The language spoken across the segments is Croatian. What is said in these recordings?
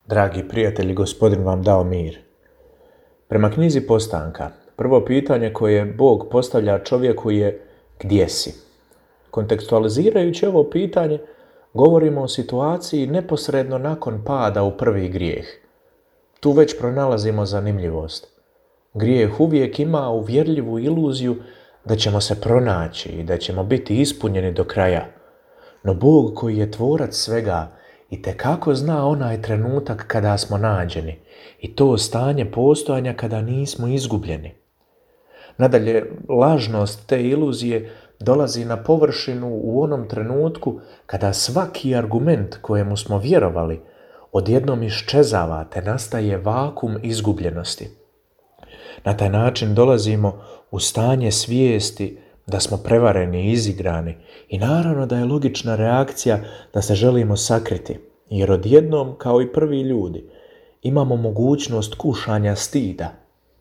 Dragi prijatelji, Gospodin vam dao mir. Prema knjizi Postanka, prvo pitanje koje Bog postavlja čovjeku je gdje si? Kontekstualizirajući ovo pitanje, govorimo o situaciji neposredno nakon pada u prvi grijeh. Tu već pronalazimo zanimljivost. Grijeh uvijek ima uvjerljivu iluziju da ćemo se pronaći i da ćemo biti ispunjeni do kraja. No Bog koji je tvorac svega itekako zna onaj trenutak kada smo nađeni i to stanje postojanja kada nismo izgubljeni. Nadalje, lažnost te iluzije dolazi na površinu u onom trenutku kada svaki argument kojemu smo vjerovali odjednom iščezava te nastaje vakum izgubljenosti. Na taj način dolazimo u stanje svijesti da smo prevareni i izigrani i naravno da je logična reakcija da se želimo sakriti, jer odjednom, kao i prvi ljudi, imamo mogućnost kušanja stida.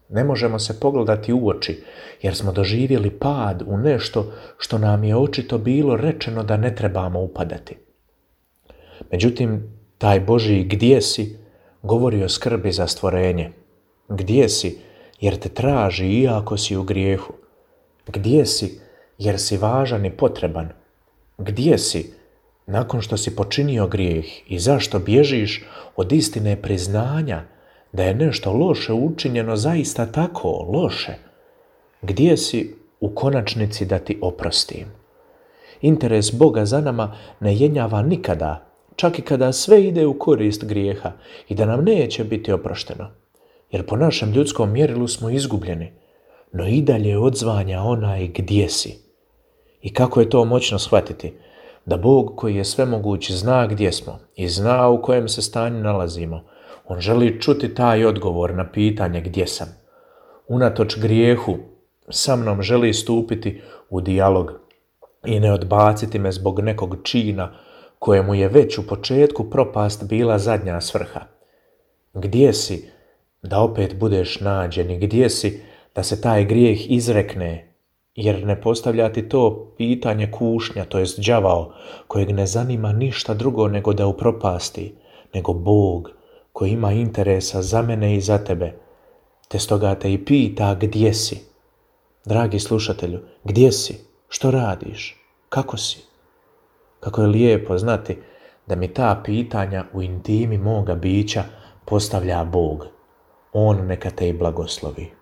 Ne možemo se pogledati u oči jer smo doživjeli pad u nešto što nam je očito bilo rečeno da ne trebamo upadati. Međutim, taj Božji gdje si govori o skrbi za stvorenje. Gdje si jer te traži iako si u grijehu. Gdje si jer si važan i potreban? Gdje si nakon što si počinio grijeh i zašto bježiš od istine priznanja da je nešto loše učinjeno zaista tako loše? Gdje si u konačnici da ti oprostim? Interes Boga za nama ne jenjava nikada, čak i kada sve ide u korist grijeha i da nam neće biti oprošteno. Jer po našem ljudskom mjerilu smo izgubljeni, no i dalje odzvanja onaj gdje si. I kako je to moćno shvatiti? Da Bog koji je svemoguć zna gdje smo i zna u kojem se stanju nalazimo. On želi čuti taj odgovor na pitanje gdje sam. Unatoč grijehu sa mnom želi stupiti u dijalog i ne odbaciti me zbog nekog čina kojemu je već u početku propast bila zadnja svrha. Gdje si da opet budeš nađen i gdje si da se taj grijeh izrekne, jer ne postavlja ti to pitanje kušnja, to jest đavao, kojeg ne zanima ništa drugo nego da upropasti, nego Bog koji ima interesa za mene i za tebe, te stoga te i pita gdje si. Dragi slušatelju, gdje si? Što radiš? Kako si? Kako je lijepo znati da mi ta pitanja u intimi moga bića postavlja Bog. On neka te i blagoslovi.